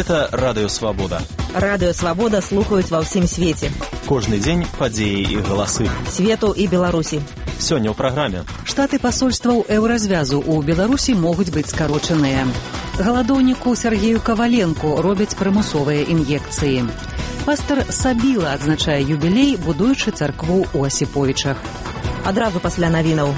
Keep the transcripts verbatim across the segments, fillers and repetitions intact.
Гэта Радыё Свабода. Радыё Свабода слухаюць ва ўсім свеце. Кожны дзень падзеі і галасы. Свету і Беларусі. Сёння ў праграме. Штаты пасольстваў еўразвязу ў Беларусі могуць быць скарочаныя. Галадоўніку Сергею Каваленку робяць прымусовыя ін'екцыі. Пастар Сабіла адзначае юбілей, будуючы царкву ў Асіповічах. Адразу пасля навінаў.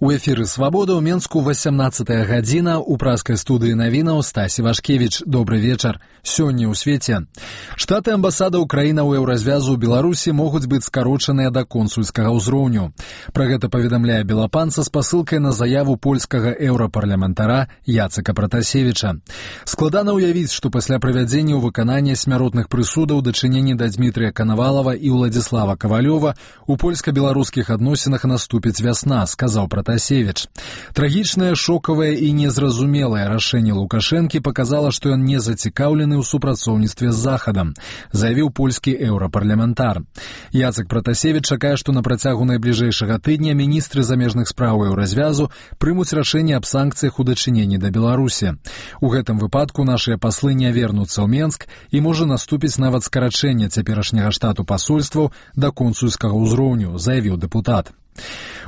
У эфіры «Свабода» ў Менску васямнаццатая гадзіна, у праскай студыі навінаў Стасі Вашкевіч. Добры вечар. Сёння ў свеце. Штаты амбасадаў краінаў еўразвязу ў Беларусі могуць быць скарочаныя да консульскага ўзроўню. Пра гэта паведамляе Белапанца з пасылкай на заяву польскага еўрапарламентара Яцека Пратасевіча. Складана ўявіць, што пасля правядзення ў выканання смяротных прысудаў дачыненні да Дмітрыя Канавалава і Уладзіслава Кавалёва у польска-беларускіх адносінах наступіць вясна, сказаў Пратасевіч. Пратасевич. Трагічнае, шокавае і незразумелае рашэнне Лукашэнкі паказала, што ён не зацікаўлены ў супрацоўніцтве з Захадам, заявіў польскі еўрапарламентар. Яцек Пратасевич чакае, што на працягу найбліжэйшага тыдня міністры замежных спраў еўразвязу прымуць рашэнне аб санкцыях у дачыненні да Беларусі. У гэтым выпадку нашыя паслы не вернуцца ў Менск і можа наступіць нават скарачэнне цяперашняга штату пасольстваў да консульскага ўзроўню, заявіў дэпутат.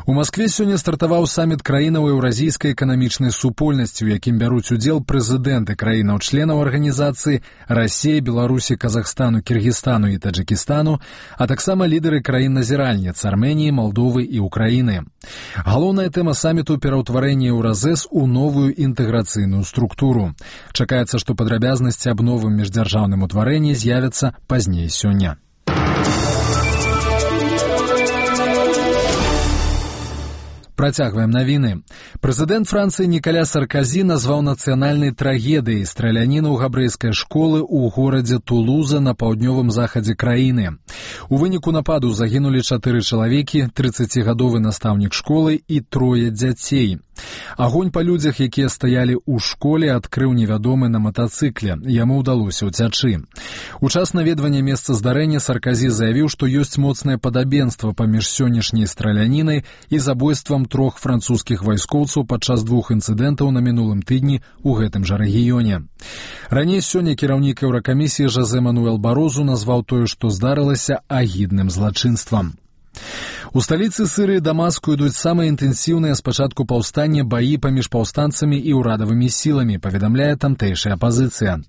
У Маскве сёння стартаваў саміт краінаў еўразійскай эканамічнай супольнасці, у якім бяруць удзел прэзідэнты краінаў-членаў арганізацыі Расіі, Беларусі, Казахстану, Кіргізстану і Таджыкістану, а таксама лідары краін-назіральніц Арменіі, Малдовы і Украіны. Галоўная тэма саміту – пераўтварэнне Еўразэс у новую інтэграцыйную структуру. Чакаецца, што падрабязнасці аб новым міждзяржаўным утварэнні з'явяцца пазней сёння. Працягваем навіны. Прэзідэнт Францыі Нікаля Сарказі назваў нацыянальнай трагедыяй страляніну ў габрэйскай школы ў горадзе Тулуза на паўднёвым захадзе краіны. У выніку нападу загінулі чатыры чалавекі, трыццацігадовы настаўнік школы і трое дзяцей. Агонь па людзях, якія стаялі ў школе, адкрыў невядомы на матацыкле. Яму ўдалося ўцячы. У час наведвання месца здарэння Сарказі заявіў, што ёсць моцнае падабенства паміж сённяшняй стралянінай і забойствам трох французскіх вайскоўцаў падчас двух інцыдэнтаў на мінулым тыдні ў гэтым жа рэгіёне. Раней сёння кіраўнік Еўракамісіі Жозе Мануэл Барозу назваў тое, што здарылася, агідным злачынствам. У сталіцы Сірыі Дамаску ідуць самыя інтэнсіўныя з пачатку паўстання баі паміж паўстанцамі і ўрадавымі сіламі, паведамляе тамтэйшая апазіцыя.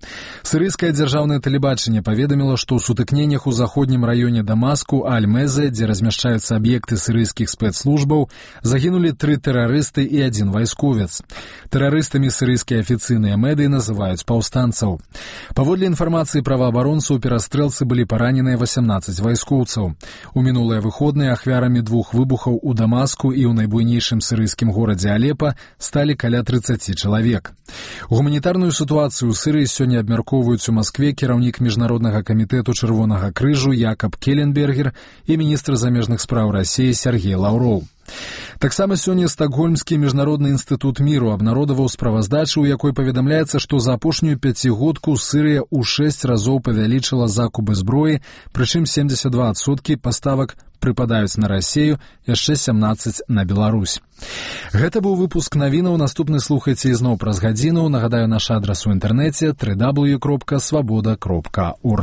Сірыйскае дзяржаўнае тэлебачанне паведаміла, што ў сутыкненнях у заходнім раёне Дамаску Аль-Мезе, дзе размяшчаюцца аб'екты сірыйскіх спецслужбаў, загінулі тры тэрарысты і адзін вайсковец. Тэрарыстамі сірыйскія афіцыйныя медыі называюць паўстанцаў. Паводле інфармацыі праваабаронцаў, у перастрэлцы былі параненыя васямнаццаць вайскоўцаў. У мінулыя выходныя ахвярамі двух выбухаў у Дамаску і ў найбуйнейшым сірыйскім горадзе Алепа сталі каля трыццаці чалавек. Гуманітарную сітуацыю ў Сірыі сёння абмяркоўваюць у Маскве кіраўнік Міжнароднага камітэту Чырвонага крыжу Якаб Келленбергер і міністр замежных спраў Расіі Сергей Лаўроў. Таксама сёння Стакгольмскі міжнародны інстытут міру абнародаваў справаздачу, у якой паведамляецца, што за апошнюю пяцігодку Сірыя ў шэсць разоў павялічыла закупы зброі, прычым семдзесят два адсоткі паставак прыпадаюць на Расію, яшчэ сямнаццаць на Беларусь. Гэта быў выпуск навінаў, наступны слухайце ізноў праз гадзіну. Нагадаю, наш адрас у інтэрнэце дабл ю дабл ю дабл ю кропка свабода кропка орг.